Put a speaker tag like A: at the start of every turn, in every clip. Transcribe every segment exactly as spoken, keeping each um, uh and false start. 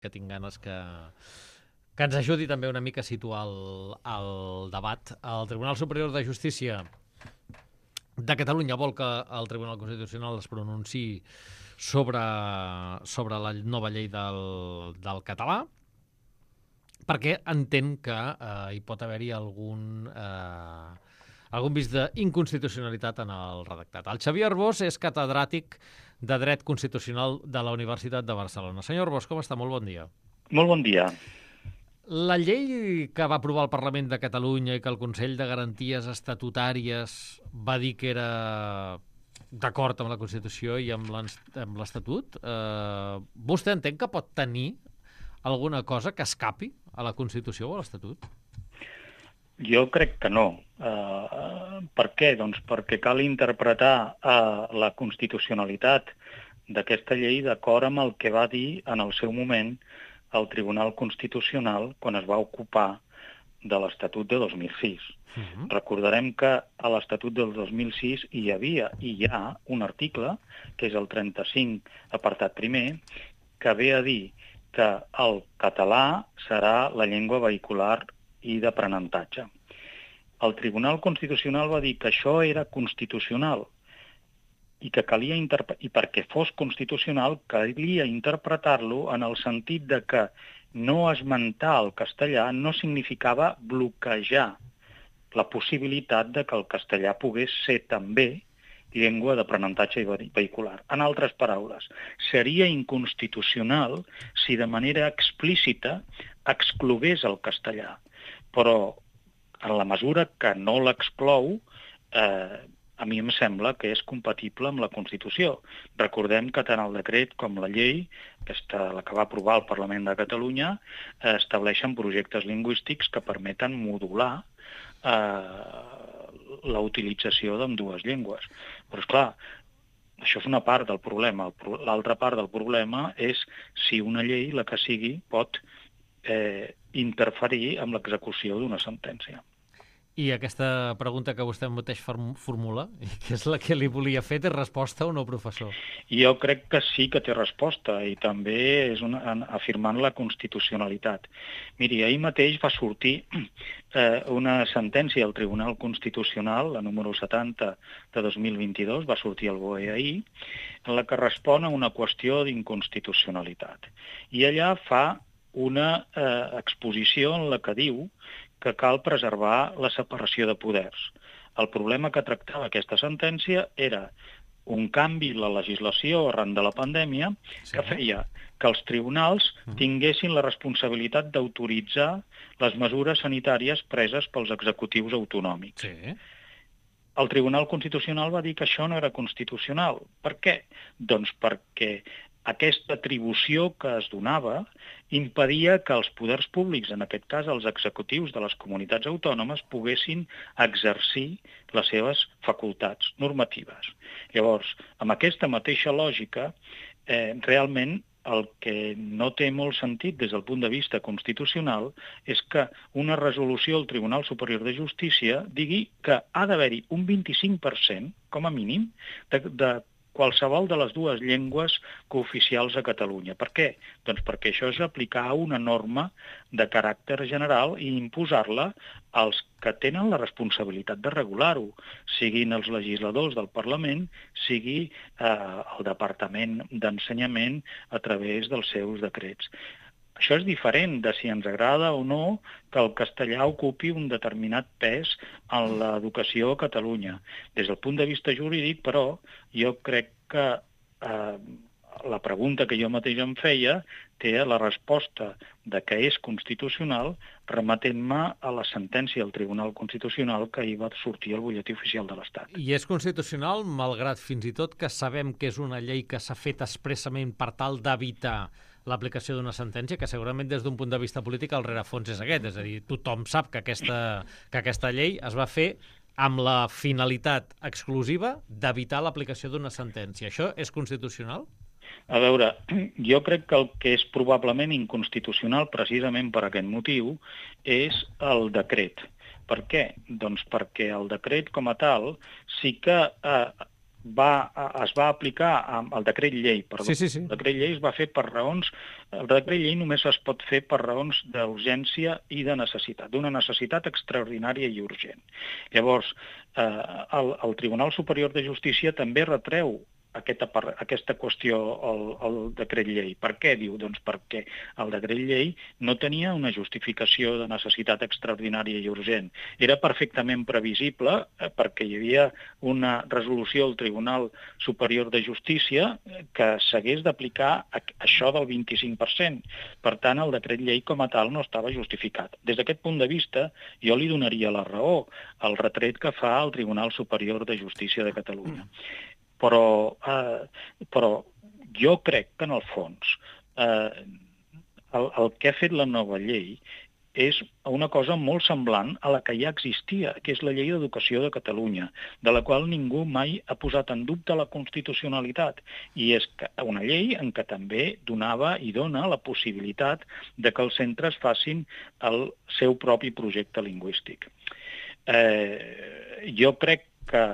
A: que tinc ganes que, que ens ajudi també una mica a situar el, el debat. El Tribunal Superior de Justícia de Catalunya vol que el Tribunal Constitucional es pronunciï sobre, sobre la nova llei del, del català, perquè entén que eh, hi pot haver-hi algun, eh, algun vist d'inconstitucionalitat en el redactat. El Xavier Arbós és catedràtic de Dret Constitucional de la Universitat de Barcelona. Senyor Arbós, com està? Molt bon dia.
B: Molt bon dia.
A: La llei que va aprovar el Parlament de Catalunya i que el Consell de Garanties Estatutàries va dir que era d'acord amb la Constitució i amb l'Estatut, eh, vostè entén que pot tenir alguna cosa que escapi a la Constitució o a l'Estatut?
B: Jo crec que no. Uh, per què? Doncs perquè cal interpretar uh, la constitucionalitat d'aquesta llei d'acord amb el que va dir en el seu moment el Tribunal Constitucional quan es va ocupar de l'Estatut de dos mil sis. Uh-huh. Recordarem que a l'Estatut del dos mil sis hi havia i hi ha un article, que és el trenta-cinc, apartat primer, que ve a dir que el català serà la llengua vehicular i d'aprenentatge. El Tribunal Constitucional va dir que això era constitucional i que calia interpre- i perquè fos constitucional calia interpretar-lo en el sentit de que no esmentar el castellà no significava bloquejar la possibilitat de que el castellà pogués ser també llengua d'aprenentatge i vehicular. En altres paraules, seria inconstitucional si de manera explícita exclogués el castellà, però en la mesura que no l'exclou, eh, a mi em sembla que és compatible amb la Constitució. Recordem que tant el decret com la llei, aquesta, la que va aprovar el Parlament de Catalunya, eh, estableixen projectes lingüístics que permeten modular eh, la utilització d'ambdues llengües. Però, esclar, això és una part del problema. L'altra part del problema és si una llei, la que sigui, pot eh, interferir amb l'execució d'una sentència.
A: I aquesta pregunta que vostè mateix formula, que és la que li volia fer, té resposta o no, professor?
B: Jo crec que sí que té resposta i també és una, afirmant la constitucionalitat. Miri, ahir mateix va sortir eh, una sentència al Tribunal Constitucional, la número setanta de dos mil vint-i-dos, va sortir al B O E ahir, en la que respon a una qüestió d'inconstitucionalitat. I allà fa una eh, exposició en la que diu que cal preservar la separació de poders. El problema que tractava aquesta sentència era un canvi en la legislació arran de la pandèmia sí. que feia que els tribunals tinguessin la responsabilitat d'autoritzar les mesures sanitàries preses pels executius autonòmics.
A: Sí.
B: El Tribunal Constitucional va dir que això no era constitucional. Per què? Doncs perquè aquesta atribució que es donava impedia que els poders públics, en aquest cas els executius de les comunitats autònomes, poguessin exercir les seves facultats normatives. Llavors, amb aquesta mateixa lògica, eh, realment el que no té molt sentit des del punt de vista constitucional és que una resolució del Tribunal Superior de Justícia digui que ha d'haver-hi un vint-i-cinc per cent, com a mínim, de, de qualsevol de les dues llengües cooficials a Catalunya. Per què? Doncs perquè això és aplicar una norma de caràcter general i imposar-la als que tenen la responsabilitat de regular-ho, siguin els legisladors del Parlament, sigui eh, el Departament d'Ensenyament a través dels seus decrets. Això és diferent de si ens agrada o no que el castellà ocupi un determinat pes en l'educació a Catalunya. Des del punt de vista jurídic, però, jo crec que eh, la pregunta que jo mateix em feia té la resposta de que és constitucional remetent-me a la sentència del Tribunal Constitucional que ahir va sortir al butlletí oficial de l'Estat.
A: I és constitucional, malgrat fins i tot que sabem que és una llei que s'ha fet expressament per tal d'evitar l'aplicació d'una sentència, que segurament des d'un punt de vista polític el rerefons és aquest, és a dir, tothom sap que aquesta, que aquesta llei es va fer amb la finalitat exclusiva d'evitar l'aplicació d'una sentència. Això és constitucional?
B: A veure, jo crec que el que és probablement inconstitucional precisament per aquest motiu és el decret. Per què? Doncs perquè el decret com a tal sí que eh, va, es va aplicar amb el decret llei, perdó.
A: Sí, sí, sí.
B: El decret llei es va fer per raons... El decret llei només es pot fer per raons d'urgència i de necessitat, d'una necessitat extraordinària i urgent. Llavors, eh, el, el Tribunal Superior de Justícia també retreu aquesta, aquesta qüestió al, al decret llei. Per què? Diu, doncs perquè el decret llei no tenia una justificació de necessitat extraordinària i urgent. Era perfectament previsible eh, perquè hi havia una resolució del Tribunal Superior de Justícia que s'hagués d'aplicar això del vint-i-cinc per cent. Per tant, el decret llei com a tal no estava justificat. Des d'aquest punt de vista, jo li donaria la raó al retret que fa el Tribunal Superior de Justícia de Catalunya. Però, eh, però jo crec que, en el fons, eh, el, el que ha fet la nova llei és una cosa molt semblant a la que ja existia, que és la Llei d'Educació de Catalunya, de la qual ningú mai ha posat en dubte la constitucionalitat. I és una llei en què també donava i dona la possibilitat de que els centres facin el seu propi projecte lingüístic. Eh, jo crec que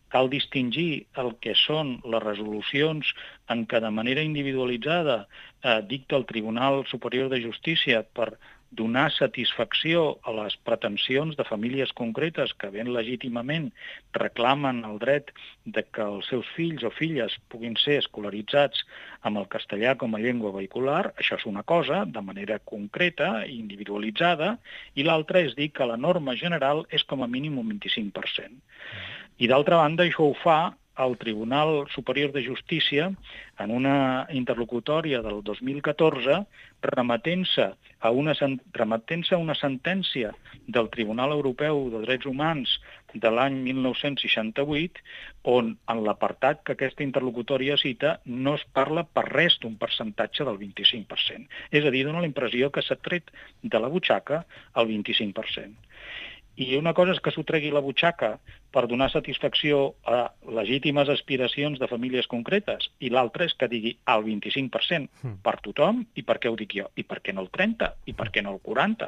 B: cal distingir el que són les resolucions en què de manera individualitzada eh, dicta el Tribunal Superior de Justícia per donar satisfacció a les pretensions de famílies concretes que ben legítimament reclamen el dret de que els seus fills o filles puguin ser escolaritzats amb el castellà com a llengua vehicular. Això és una cosa, de manera concreta i individualitzada, i l'altra és dir que la norma general és com a mínim un vint-i-cinc per cent. I d'altra banda, això ho fa el Tribunal Superior de Justícia en una interlocutòria del dos mil catorze, remetent-se a una, remetent-se a una sentència del Tribunal Europeu de Drets Humans de l'any mil nou-cents seixanta-vuit, on en l'apartat que aquesta interlocutòria cita no es parla per res d'un percentatge del vint-i-cinc per cent. És a dir, dona la impressió que s'ha tret de la butxaca el vint-i-cinc per cent. I una cosa és que s'ho tregui la butxaca per donar satisfacció a legítimes aspiracions de famílies concretes, i l'altra és que digui el vint-i-cinc per cent per tothom. I per què ho dic jo? I per què no el trenta? I per què no el quaranta?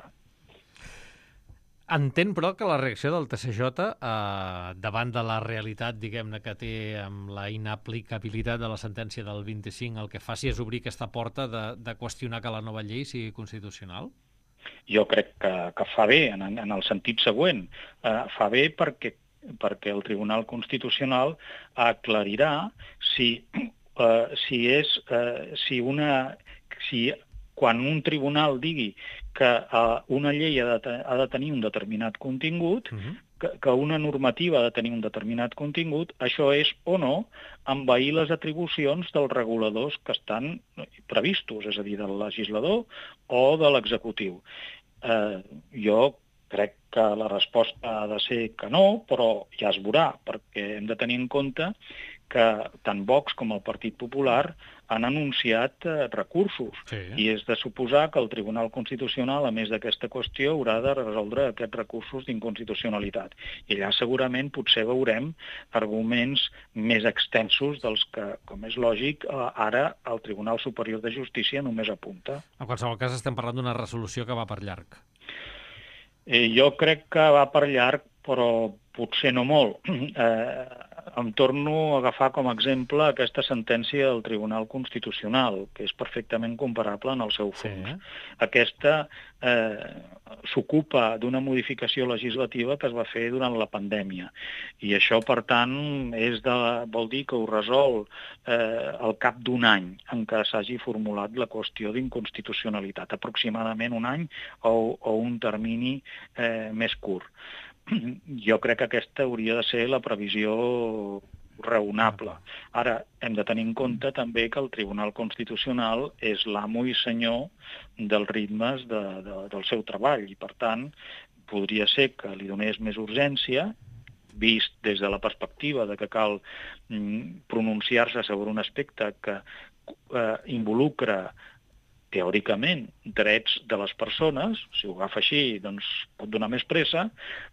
A: Entén, però, que la reacció del T C J eh, davant de la realitat, diguem-ne, que té amb la inaplicabilitat de la sentència del vint-i-cinc, el que faci és obrir aquesta porta de, de qüestionar que la nova llei sigui constitucional?
B: Jo crec que, que fa bé, en, en el sentit següent. Eh, fa bé perquè, perquè el Tribunal Constitucional aclarirà si, eh, si és eh, si una si quan un tribunal digui que eh, una llei ha de, ha de tenir un determinat contingut, uh-huh. que, que una normativa ha de tenir un determinat contingut, això és o no envair les atribucions dels reguladors que estan previstos, és a dir, del legislador o de l'executiu. Eh, jo crec que la resposta ha de ser que no, però ja es veurà, perquè hem de tenir en compte que tant Vox com el Partit Popular han anunciat eh, recursos. Sí. I és de suposar que el Tribunal Constitucional, a més d'aquesta qüestió, haurà de resoldre aquests recursos d'inconstitucionalitat. I allà segurament potser veurem arguments més extensos dels que, com és lògic, eh, ara el Tribunal Superior de Justícia només apunta.
A: En qualsevol cas, estem parlant d'una resolució que va per llarg.
B: Eh, jo crec que va per llarg, però potser no molt. Eh, em torno a agafar com a exemple aquesta sentència del Tribunal Constitucional, que és perfectament comparable en el seu fons. Sí. Aquesta eh, s'ocupa d'una modificació legislativa que es va fer durant la pandèmia. I això, per tant, és de, vol dir que ho resol eh, al cap d'un any en què s'hagi formulat la qüestió d'inconstitucionalitat, aproximadament un any o, o un termini eh, més curt. Jo crec que aquesta hauria de ser la previsió raonable. Ara, hem de tenir en compte també que el Tribunal Constitucional és l'amo i senyor dels ritmes de, de, del seu treball i, per tant, podria ser que li donés més urgència, vist des de la perspectiva de que cal mm, pronunciar-se sobre un aspecte que eh, involucra teòricament, drets de les persones, si ho agafa així, doncs pot donar més pressa,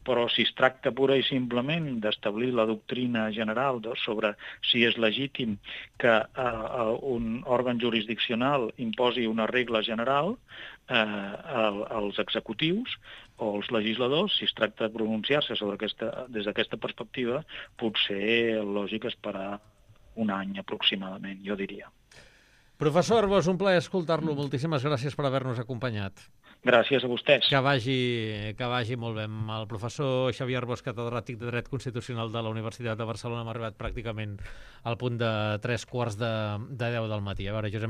B: però si es tracta pura i simplement d'establir la doctrina general sobre si és legítim que eh, un òrgan jurisdiccional imposi una regla general eh, als executius o als legisladors, si es tracta de pronunciar-se sobre aquesta, des d'aquesta perspectiva, potser lògic esperar un any aproximadament, jo diria.
A: Professor Arbós, un plaer escoltar-lo. Moltíssimes gràcies per haver-nos acompanyat.
B: Gràcies a vostès.
A: Que vagi, que vagi molt bé. El professor Xavier Arbós, catedràtic de Dret Constitucional de la Universitat de Barcelona, m'ha arribat pràcticament al punt de tres quarts de, de deu del matí. A veure, Josep